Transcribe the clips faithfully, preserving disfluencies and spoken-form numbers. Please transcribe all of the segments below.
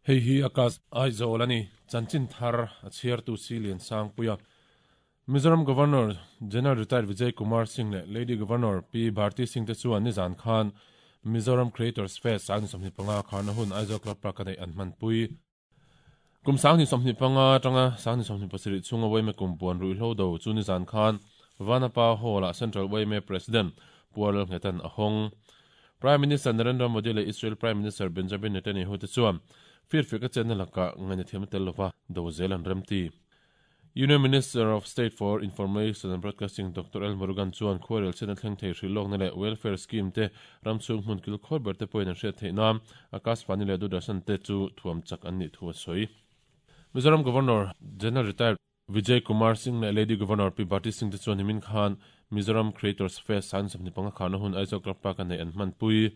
Hei hi Akas Aizawl ani chanchin thar a chhiar tu si lian sang puia. Mizoram Governor General Retired Vijay Kumar Singh le Lady Governor P Bharti Singh te chuan ni zan khan Mizoram Creators Fest sang somni panga khan hun Aizawl Club Park nei an man pui. Kum sang ni somni panga tanga sang ni somni pasarih chunga waime kumpuan ruihhlo do chu ni zan khan Vanapa Hall a Central Waime President Pual Ngetan Ahong. Prime Minister Narendra Modi le Israel Prime Minister Benjamin Netanyahu te chuan fir fika chen laka ngani thiam tel lova do zelan remti. Union Minister of State for Information and Broadcasting Doctor L Murugan chuan khuarel chen thleng thei hrilok na le welfare scheme te ramchung hmun kil khor ber te point an hriat theih nam Akashvani le Doordarshan te chu thuam chak an ni thu a sawi. Mizoram Governor General Retired Vijay Kumar Singh le Lady Governor P Bharti Singh te chuan himin khan Mizoram Creators Fest san samni panga khan hun Aizawl Club Park nei an man pui.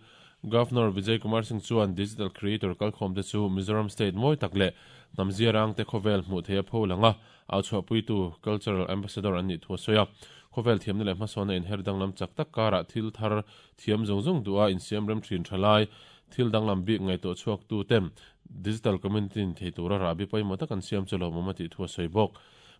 Governor Vijay Kumar Singh chuan digital creator kalkhom te chu Mizoram State moi tak le namzia rang te khovel hmu theia pho langa au chhuah pui tu cultural ambassador an ni thu soya. Khovel thiam na le hmasawna in her danglam chak tak kara thil thar thiam zung zung dua in siam rem thin thalai thil danglam bik ngai to chuak tu tem digital community in thei tura rabi paimo tak an siam chulo mamati thu soi bok.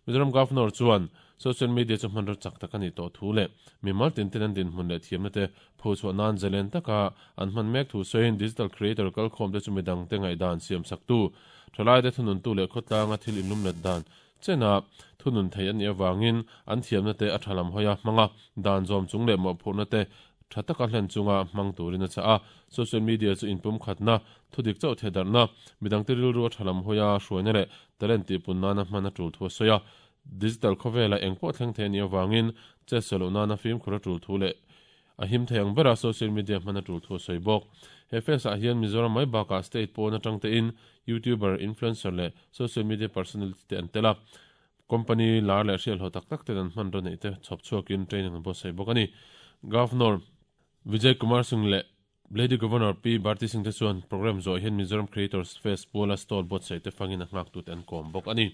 Mizoram Governor chuan social media chu hman ro chak tak ani to thu le mi mal tin tin an din hmun le thiam na te pho chu nan zelen taka an hman mek thu soin digital creator kal khom te chu midang te ngai dan siam sak tu thalai te thunun tu le khotlanga thil inlum let dan chena thunun thei ani awangin an thiam na te a thalam hoya hmanga dan zom chung le mo phurna te thataka hlen chunga hmang turin a cha a social media chu inpum khatna thudik chau thedarna midang te rilru thalam hoya hruaina le talent ti punna na hmana tul thu soya digital khovela engpo thleng the ni awangin che solo na film khura tul thu le a him theiang bera social media hmana tul thu soi bok. He fes a hian Mizoram mai baka state pawna tangte in YouTuber influencer le social media personality te an tela company lar le hrial ho tak tak te an hman ro nei te chhop chhuakin training an bo sei bok ani. Governor Vijay Kumar Singh le Lady Governor P Bharti Singh te chuan program zo hian Mizoram Creators Fest pawla stall bot sei te fangin a ngak tut an kom bok ani.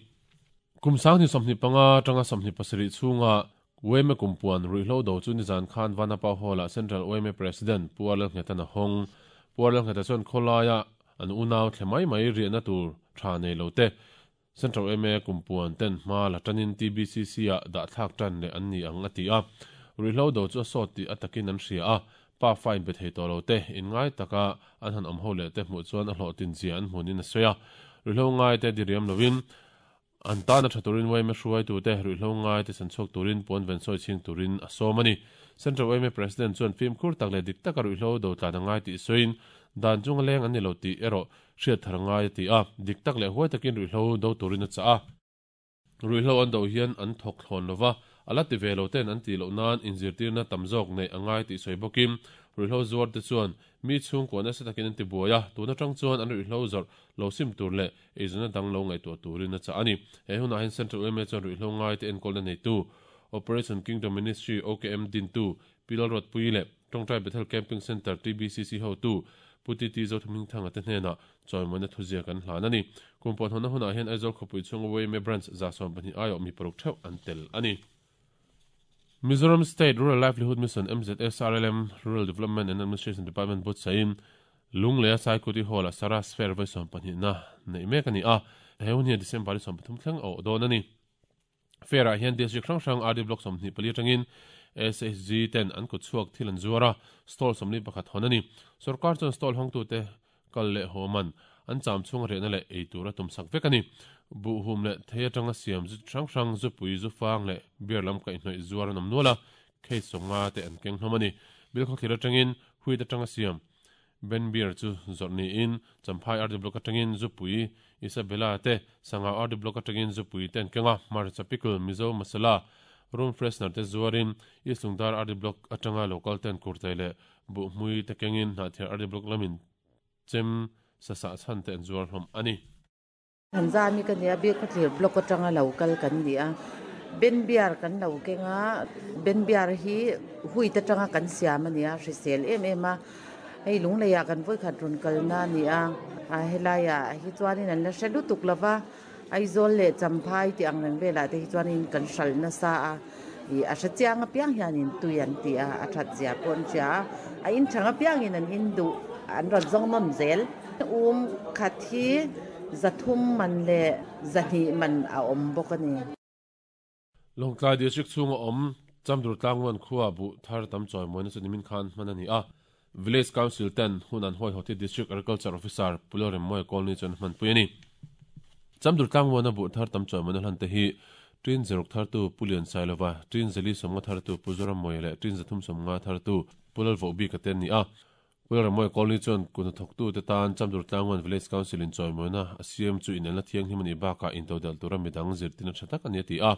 Kum sang ni somni panga tanga somni pasarih chunga Weme kumpuan ruihhlo do chu ni zan khan Vanapa Hall a Central Weme President Pual Ngetan Ahong. Pual Ngeta chuan kholaya an unau thlemai mai riahna tur tha nei lo te Central Weme kumpuan ten hma la tanin T B C C a dah thlak tan le an ni ang ati a. Ruihhlo do chu a sawt ti atakin an hria a pa fine be thei to lo te in ngai taka an han awm ho le te hmuh chuan a hlawh tin zia an hmunin a sawi a. Ruihhlo ngai te diriam lovin an tana thaturin Weme hruai tu te ruihhlo ngai te san chhuak turin pawn ven sawi chhing turin a sawm ani. Central Weme President chuan film khur tak le dik taka ruihhlo do tlan a ngai tih sawiin dan chunga leng an ni lo tih erawh hriat thar ngai a ti a dik tak leh huai takin ruihhlo do turin a cha a. Ruihhlo an do hian an thawk thlawn lova ala ti ve lo ten an ti loh nan inzirtirna tam zawk nei a ngai tih sawi bawkin ruihhlo zuar te chuan mi chhungkaw nasa takin an ti buai a tuna tang chuan an ruihhlo zawrh lo sim tur leh eizawna dang lo ngaihtuah turin a cha ani. He hunah hian Central Weme chuan ruihhlo ngai te enkawlna nei tu Operation Kingdom Ministry O K M din tu Pilal Road Pui le Tongtai Bethel Camping Center T B C C ho tu Puti Ti Zo Thuming Thanga te hnena chawimawina thuzia kan hlan ani. Kumpuan hona hunah hian Aizawl khawpui chhunga Weme branch za sawm pahnih aiawh mi paruk theuh an tel ani. Mizoram State Rural Livelihood Mission M Z S R L M Rural Development and Administration Department bot sain Lunglea Saikuti Hall a Saras Fair vai sawm pahnih na nei mek ani a. He hun hian December ni sawm pathum thleng a awh dawn ani. Fair ah hian district hrang hrang R D block sawmhnih pali atangin S H G ten an kut chhuak thil an zuar a stall sawmli pakhat hawn ani. Sarkar chuan stall hawng tu te kal leh haw man an cham chhung rehna leh ei tura tum sak vek ani. Bu hum le thei atanga siam zu hrang hrang zu pui zu fang le beer lam kaih hnawih zuar an awm nual a khei sawnga te an keng hlawm ani. Bilkhaw thlir atangin huit atanga siam Ben beer chu zawrh niin Champhai R D block atangin zu pui Isabella te Sangau R D block atangin zu pui te an kenga Hmarcha pickle Mizo masala room freshener te zuarin East Lungdar R D block atanga local ten kurtai le bu hmui te kengin hnahthiar R D block lamin chem sasa chhan te an zuar hlawm ani. Hanzami kan nia Bilkhawthlir block atanga local kan ni a Ben beer kan lo kenga Ben beer hi huit atanga kan siam ani a hrisel em em a hei lungleia kan voi khat run kalna ni a a helaiah hi chuanin an la hre lutuk lova Aizawl le Champhai ti ang reng velah te hi chuanin kan hral nasa a i a hre chiang apiang hianin tui an ti a a that zia pawh an hria a in thang apiangin an in duh an rawn zawng nawm zel. Um khat hi Zathum man le zahni man a awm bawk a ni. Lawngtlai District chhunga awm Chamdur Tlangwan khuwa bu thar tam chawi mawina chu nimin khan hman a ni a. Village Council ten hun an hawi hawti District Agriculture Officer Pulorem Moy Colony chuan hman pui a ni. Chamdur Tlangwana bu thar tam chawi mawina hlan te hi Tin zeruk thar tu Pulian Sailova, Tin Zeli Somnga thar tu Puzoram Moy le Tin Zathum Somnga thar tu Pulal Vobi ka ten ni a. Pulorem Moy Colony chuan kun thok tu te tan Chamdur Tlangwan Village Council in chawi mawina a C M chu in la thiang himani baka in todal tura midang zirtina thatak ani ti a.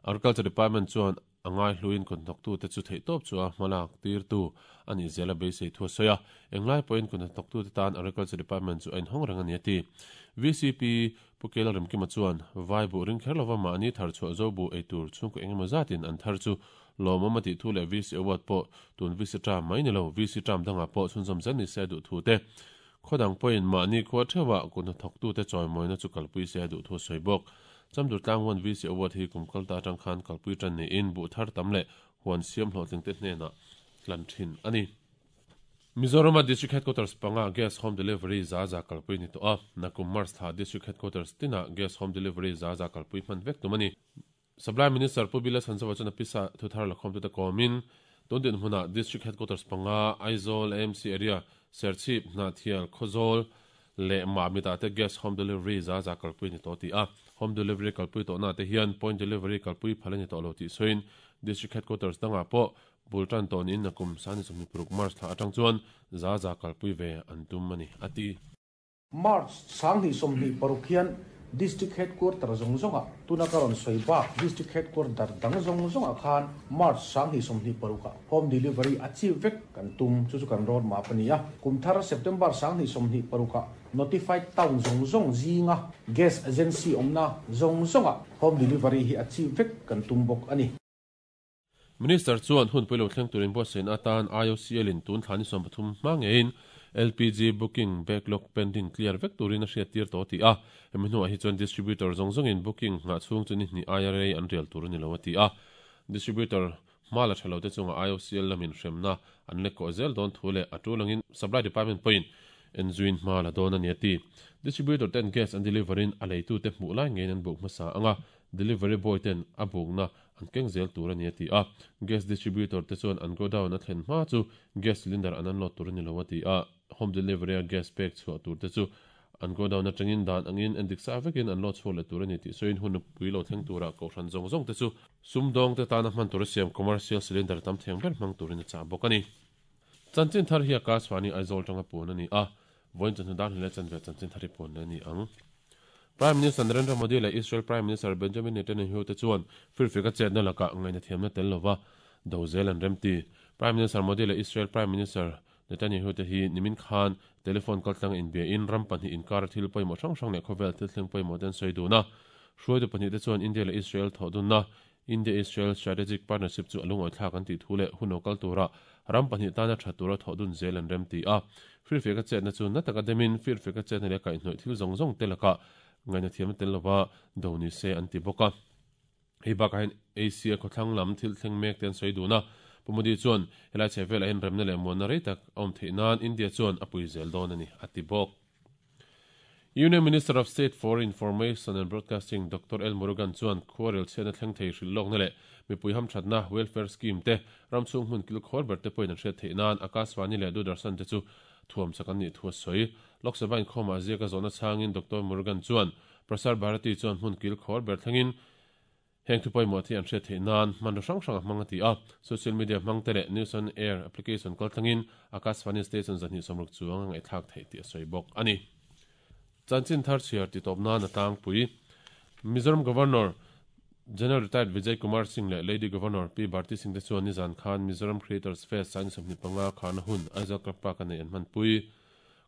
Agriculture Department chuan angai hluin kun thok tu te chu thei top chu a hmalak tir tu ani zela beisei thu soya englai point kun thok tu te tan Agriculture Department chu ein hong rang ani ti. V C P Pukela Remkima chuan vai bu ring kherlova ma ani thar chu zo bu eitur chung ko engemaw zatin an thar chu lawmawm a tih thu leh V C award pawh tun V C tram mai ni lo V C tram danga pawh chhunzawm zel ni se duh thu te khodang pawhin mahni khua thewa kun thok tu te chawimawina chu kalpui se duh thu sawi bawk. Chamdur Tlangwan V C award hi kumkal ta tang khan kalpui tan ni in bu thar tam le huan siam hlawhtling te hnena tlan thin ani. Mizoram District Headquarters panga gas home delivery za za kalpui ni to a nakum March tha District Headquarters tina gas home delivery za za kalpui hman vek tumani. Supply Minister Pubila Sansawa chana pisa thuthar lakhom tu ta komin tun din hmuna District Headquarters panga Aizawl A M C area Serchhip Hnahthial Khawzawl le Mamit ah te gas home delivery za za kalpui ni to ti a. Home delivery kalpui to na te hian point delivery kalpui phal ni to lo ti soin District Headquarters danga pawh bultan ton in nakum sani sawmni paruk March thla atang chuan za za kalpui ve an tum ani ati. March sanghnih sawmhnih paruk hian District Headquarter zawng zawnga tuna karon sawi bak District Headquarter dang zawng zawnga khan March sanghnih sawmhnih paruka home delivery achieve vek kan tum chu chu kan road map ani a. Kumthar September sanghnih sawmhnih paruka notified town zawng zawng zinga gas agency awmna zawng zawnga home delivery hi achieve vek kan tum bawk ani. Minister chuan hun puilo thleng turin buatsaihna atan I O C L in tun thlani sawm pathum hma ngeiin L P G booking backlog pending clear vek turin a hriat tir to ti a. Hemi hnuah hi chuan distributor zawng zawngin booking ngah chhung chu ni hnih I R A an rial tur ani lo a ti a. Distributor hma la thalo te chunga I O C L lamin hremna an lek ko zel dawn thu leh a tulangin Supply Department point en zuin hma la dawn ani ati. Distributor ten gas an deliverin a leitu te hmuh lai ngein an book hmasa anga delivery boy ten a bukna an keng zel tur ani ati a. Gas distributor te chuan an go down a thlen hma chu gas cylinder an an lot tur ani lo ati a. Home delivery a gas pek chhuah tur te chu an go down atangin dan angin an dik sa vekin an lot chhuah le tur ani ti soin hun pui lo thleng tura ko hran zawng zawng te chu sumdawng te tana hman tur siam commercial cylinder tam theng ber hmang turin a cha bawk ani. Chanchin thar hi Akashvani Aizawl tanga pun ani a. Voin chan dan hle chan ve chanchin thari pun ani ang. Prime Minister Narendra Modi le Israel Prime Minister Benjamin Netanyahu te chuan firfika chetna laka ngaina thiamna tel lova dozel an remti. Prime Minister Modi le Israel Prime Minister Netanyahu te hi nimin khan telephone kaltlang in be in ram pahnih inkar thil pawimawh hrang hrang leh khawvel thil thleng pawimawh ten sawi dun a. Hruaitu pahnih te chuan India leh Israel thawhdunna India Israel Strategic Partnership chu alungawi thlak an tih thu leh hun lo kal tura ram pahnih tana tha tura thawhdun zel an rem ti a. Firfika chetna chu na taka demin firfika chetna leh kaihhnawih thil zawng zawng te laka ngaina thiam tel lova do ni se an ti bawk a. Hei bakah hian Asia khawthlang lam thil thleng mek te an sawi dun a. Pumudi chuan helai chhe velah hian remna leh muanna rei tak a awm theih nan India chuan a pui zel dawn ani a ti bawk. Union Minister of State for Information and Broadcasting Doctor L Murugan chuan khuarel chhiatna thleng thei hrilh lawkna leh mipui hamthatna welfare scheme te ramchhung hmun kil khawr ber te pawhin an hriat theih nan Akashvani leh Doordarshan te chu thuam sak an nih thu a sawi. Lok Sabha inkhawmah ziaka zawhna changin Doctor Murugan chuan Prasar Bharati chuan hmun kil khawr ber thlengin heng thu pawimawh thi an hriat theih nan hmanraw hrang hrang a hmang a ti a. Social media hmang te leh News on Air application kal thlengin Akashvani station zahnih sawmruk chuang a ngaihthlak theih tih a sawi bawk ani. Chanchin thar chhiar ti tawp nan a tlangpui. Mizoram Governor General Retired Vijay Kumar Singh le Lady Governor P Bharti Singh te chuan nizan khan Mizoram Creators Fest sani sawmhnih panga khana hun Aizawl Club Park a nei an hman pui.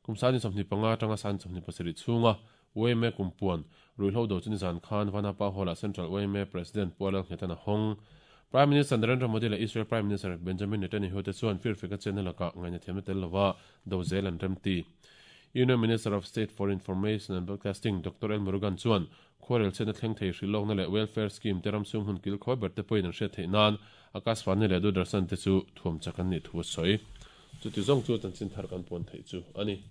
Kum sani sawmhnih panga tanga sani sawmhnih pasarih chhunga U M A kumpuan ruihhlo do chu nizan khan Vanapa Hall-ah Central U M A President Pualal Nghetan a hawng. Prime Minister Narendra Modi le Israel Prime Minister Benjamin Netanyahu te chuan firfika chenna laka ngaina thiamna tel lova do zel an remti. Union Minister of State for Information and Broadcasting Doctor L Murugan chuan khuarel chhiatna thleng thei hrilh lawkna leh welfare scheme te ramchhung hun kil khawi ber te pawhin an hriat theih nan Akashvani leh Doordarshan te chu thuam chak an nih thu a sawi. Chuti zawng chu chanchin thar kan pawn theih chu ani.